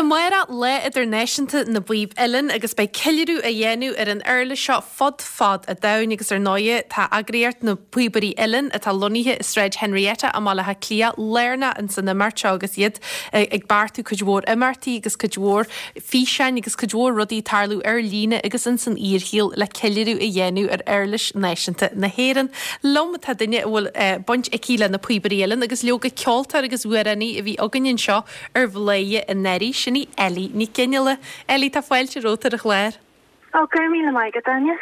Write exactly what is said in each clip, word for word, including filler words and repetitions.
Amárach Lá Idirnáisiúnta na bPíob Uilleann agus beidh ceiliúradh á dhéanamh ar an uirlis seo fud fad an domhain agus ar ndóigh tá eagraíocht na bPíobairí Uilleann atá lonnaithe i Sráid Henrietta i mBaile Átha Cliath lárnach in san imeacht seo agus iad ag beartú cuid mhór imeachtaí agus cuid mhór físeáin agus cuid mhór rudaí tarlú ar líne agus in san fhíorshaol le ceiliúradh a dhéanamh ar uirlis náisiúnta na hÉireann. Liom tá duine a bhfuil eh, baint aici le na Píobairí Uilleann agus leoga ceoltóir agus amhránaí a bhí againn anseo ar Bhladhaire anuraidh sin í Ellie Nic Fhionnghaile. Ellie tá fáilte romhat ar an chlár. Ó go raibh míle maith agat Áine.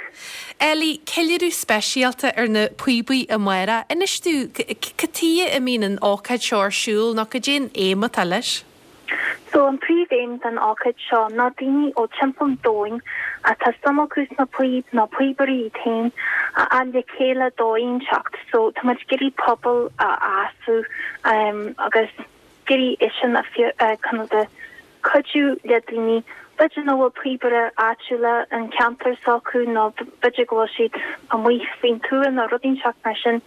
Ellie ceiliúradh speisialta ar na píobaí amárach. Inis domh cad chuige a mbíonn an ócáid seo ar siúl nó cad é an aidhm atá leis. So an príomhaidhm den ócáid seo ná daoine ó timpeall an domhain atá suim acu sna píob nó píobairí iad féin a fháil le chéile dóigh inteacht, so tá muid ag iarraidh pobal a fhás um, agus ag iarraidh sin a chun de cuidiú le daoine b'fhéidir nach bhfuil píobaire áitiúla an ceantar s'acu nó b'fhéidir go bhfuil siad amuigh faoin tuath nó rud inteacht mar sin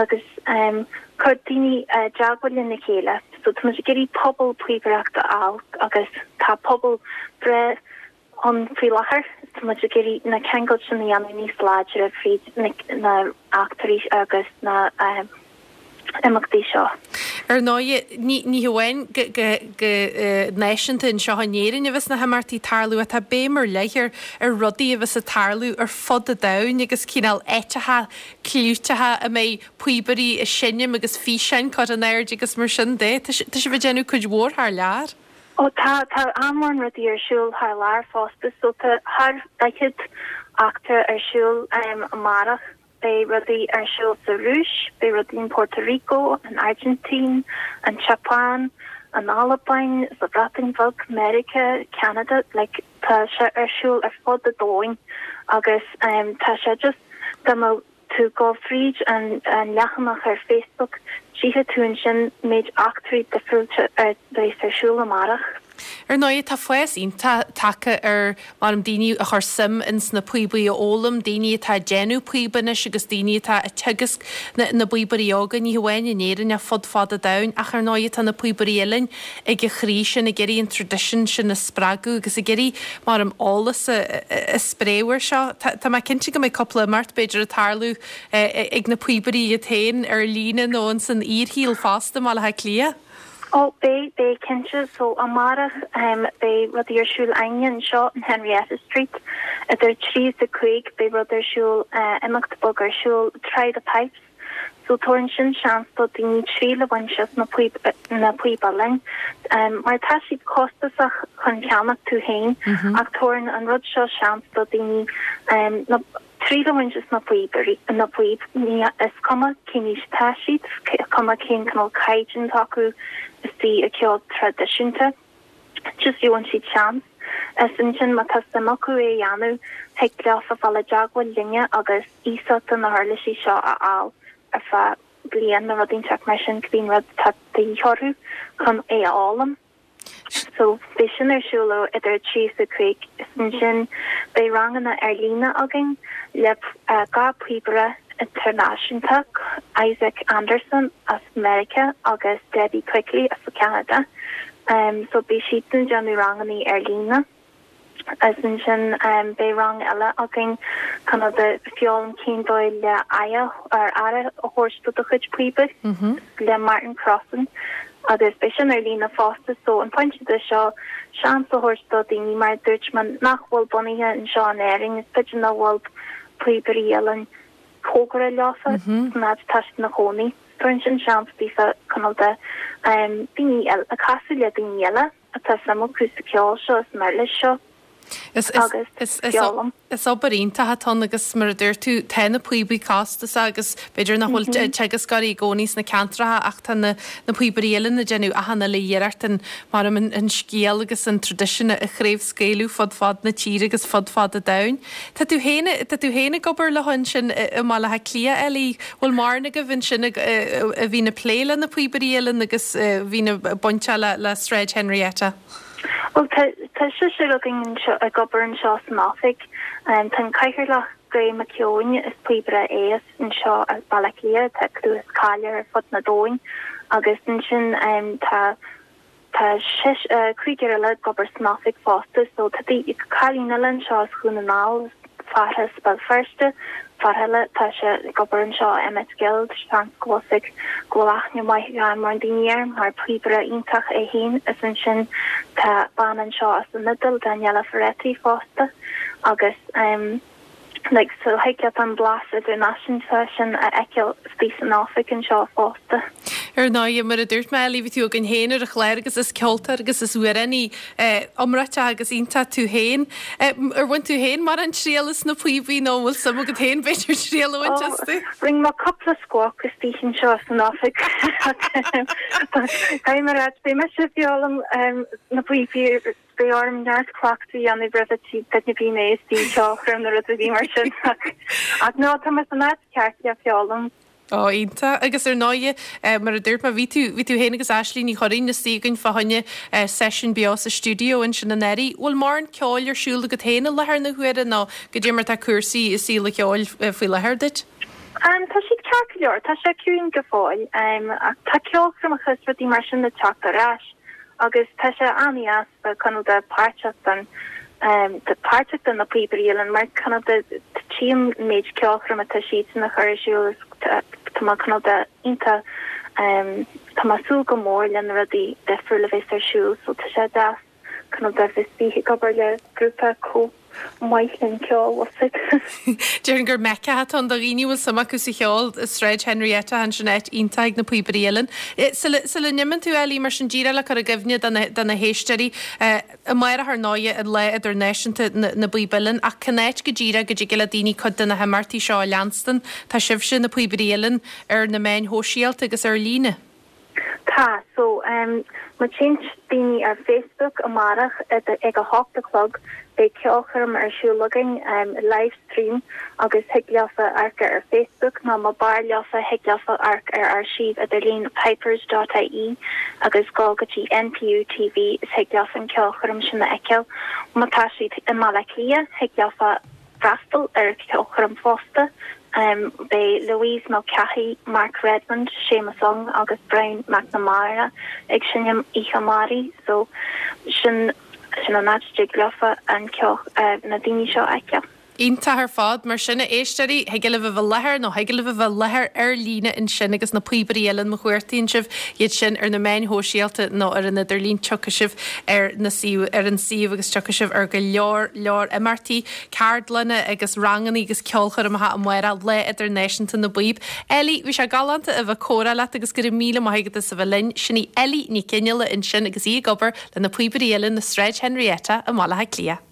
agus um, cur daoine uh, teagmháil lena chéile. So tá muid ag iarraidh pobal píobaireachta a fháil agus tá pobal breá ann faoi láthair tá muid ag iarraidh na ceangail sin a dhéanamh níos láidre fríd na, na eachtraí agus na um, imeachtaí seo. Ar ndóigh ní ní hamháin go go náisiúnta anseo in Éirinn a bheas na himeachtaí tarlú atá béim ar leith ar ar rudaí a bheas ag tarlú ar fud an domhain agus cineál áiteacha clúiteacha a mbeidh píobairí ag seinm agus físeáin curtha in airde agus mar sin de Tá sibh ag déanamh cuid mhór thar lear. Ó tá tá an-mhór rudaí ar siúl thar lear fosta so tá thar daichead eachtra ar siúl um, amárach beidh rudaí ar siúl sa Rúis, beidh rudaí in Puerto Rico, an Argentín, an Japan, an Albain, sa Bhreatain Bheag, America, Canada, like, tá sé ar siúl ar fud an domhain agus um, tá sé just dá mba tú go fríd an, an leathanach ar Facebook, tchífidh tú ansin méid eachtraí difriúla ar ar siúl amárach. Ar ndóigh tá fás iontach tagtha ar mar am daoine a chur suim ins na píobaí a fhoghlaim, daoine atá ag déanamh píob anois agus daoine atá ag teagasc na, na bpíobairí óga ní hamháin in Éirinn ach fud fad an domhain ach ar ndóigh tá na píobairí uilleann ag a chroí sin ag iarraidh an traidisiún sin a spreagadh agus ag iarraidh mar am eolas a, a, a spréadh seo. Tá mé cinnte go mbeidh cúpla imeacht b'fhéidir ag tarlú ag na píobairí iad féin ar líne nó in san fhíorshaol fosta i mBaile Átha Cliath. Ó beidh beidh cinnte so amárach um, beidh rud ar siúl againne anseo in Henrietta Street idir trí is a cúig beidh rud ar siúl uh, imeacht beag ar siúl try the pipes. So tugann sin seans do daoine triail a bhaint as na na píob uilleann. Um, mar tá siad costasach chun ceannach tú féin mm -hmm. ach tugann an rud seo seans do daoine um, na triail a bhaint as na píobairí na píob ní is cuma cén aois atá siad cuma cén cineál caighdeán acu is tí a ceol traidisiúnta. Just gheobhaidh siad seans. Is ansin má tá suim acu é a dhéanamh thig leo a bheith i dteagmháil linne agus iasacht na huirlisí seo a fháil ar feadh bliain nó rud inteacht mar sin cibé rud atá de dhíth orthu chun é a fhoghlaim. So beidh sin ar siúl idir trí is a cúig is ansin beidh ranganna ar líne againn le uh, dhá phíobaire idirnáisiúnta Isaac Anderson as America agus Debbie Quigley as Canada. Um, so beidh siad ag déanamh ranganna ar líne. Is ansin um, beidh rang eile againn chun de foghlaim cén dóigh le aire ar aire a thabhairt do do chuid píobaí mm -hmm. le Martin Crossan agus beidh sin ar líne fosta so an pointe de seo seans a thabhairt do daoine mar dúirt mé nach bhfuil bunaithe anseo in Éirinn is b'fhéidir nach bhfuil píobairí uilleann cóngarach leofa mm -hmm. ná tá na cónaí. Tugann sin seans daofa chun de um, daoine a casadh le daoine eile atá suim acu sa ceol seo is mar leis seo. Is is is is obair iontach atá agus mar a dúirt tú tá na píobaí costasach agus b'fhéidir nach bhfuil mhm. teagascóirí i gcónaí sna ceantracha ach tá na na píobairí uilleann ag déanamh achan uile iarracht an mar an, an scéal agus an traidisiún a chraobhscaoileadh fud fad na tíre agus fud fad an domhain. Tá tú féin tá tú féin ag obair le ansin i mBaile Átha Cliath Ellie bhfuil mórán agaibh ansin a bhíonn ag plé le na píobairí uilleann agus bhí na bainte le le Sráid Henrietta. Well tá seisear againn ag obair anseo san oifig um, Tá cathaoirleach Graham McKeown is píobaire é anseo as Baile Átha Cliath tá clú is cáil air ar fud an domhain agus ansin um, tá tá cúigear eile ag obair san oifig fosta so tá cailín eile anseo as Dhún na nGall fear as Béal Feirste fear eile tá sé ag obair anseo Emmet Guild seans go bhfuil go bhfuil aithne maith ag mórán daoine air mar píobaire iontach é féin is ansin tá bean anseo as an Iodáil Daniela Ferretti fosta agus um, like so thig leat an blas idirnáisiúnta sin a fheiceáil istigh san oifig anseo fosta. Ar ndóigh mar a dúirt mé bhí tú againn féin ar an chlár agus is ceoltóir agus is amhránaí iomráiteach agus iontach tú féin. Ar bhain tú féin mórán triail as na píobaí nó bhfuil suim agat féin b'fhéidir triail a bhaint astu? Rinne mé cúpla squawk istigh anseo san oifig. Caithfidh mé a rá beidh mise ag foghlaim na píobaí Beidh orm neart cleachtadh a dhéanamh roimhe tí duine bhí mé istigh ceolchoirm nó rud a bhí mar sin ach ná tá mé san áit ceart le foghlaim. Ó iontach agus ar ndóigh mar a dúirt mé bhí tú bhí tú féin agus Aislinn Ní Churraoin istigh againn fá choinne seisiún beo sa stiúideo ansin anuraidh. Bhfuil mórán ceoil ar siúl agat féin i láthair na huaire nó goidé mar tá cúrsaí i saol an cheoil faoi láthair duit? Um, tá siad ceart go leor, tá sé ciúin go fóill, um, ach tá ceolchoirmeacha is rudaí mar sin ag teacht ar ais. agus tá sé an-deas cineál de páirteach den um, de páirteach den na Píobairí Uilleann mar cineál de tchím an méid ceolchoirm atá siad a chur ar siúl tá mé cineál de iontach um, tá mé ag súil go mór le na rudaí difriúla a bheas ar siúl so tá sé deas cineál de bheith istigh ag obair le grúpa chomh maith linn ceol Déarfainn gur Mecca atá ann do dhaoine a bhfuil suim acu sa cheol i Sráid Henrietta ansin áit iontach ag na Píobairí Uilleann. Sula n-imíonn tú Ellie mar sin díreach le cur i gcuimhne do na héisteoirí amárach ar ndóigh an Lá Idirnáisiúnta na bPíob Uilleann ach cén áit go díreach go dtig le daoine cuid de na himeachtaí seo a leanstan tá sibhse na Píobairí Uilleann ar na meáin shóisialta agus ar líne. Tá so um, má théann daoine ar Facebook amárach ag a hocht a chlog beidh ceolchoirm ar siúl againn um, live stream agus thig leofa amharc ar Facebook nó má b'fhearr leofa thig leofa amharc ar ár suíomh idirlín pipers.ie agus gabh go dtí NPU TV is thig leofa an ceolchoirm sin a fheiceáil. Má tá siad i mBaile Átha Cliath thig leofa freastal ar ceolchoirm fosta. Um, Beidh Louise Mulcahy, Mark Redmond, Seamus Ong agus Brian McNamara ag seinm oíche amárach, so sin sin an áit a dtig leofa an ceol uh, na daoine seo a fheiceáil. Iontach ar fad mar sin a éisteoirí thig libh a bheith i láthair nó thig libh a bheith i láthair ar líne ansin agus na Píobairí Uilleann má chuartaíonn sibh iad sin ar na meáin shóisialta nó ar an idirlíon tiocfaidh sibh ar na suíomh ar an suíomh agus tiocfaidh sibh ar go leor leor imeachtaí, ceardlanna agus ranganna agus ceolchoirmeacha amárach Lá Idirnáisiúnta na bPíob. Ellie, bhí sé galánta a bheith ag comhrá leat agus go raibh míle maith agat as a bheith linn, sin í Ellie Ní Chinnsealaigh ansin agus í ag obair le na Píobairí Uilleann i Sráid Henrietta i mBaile Átha Cliath.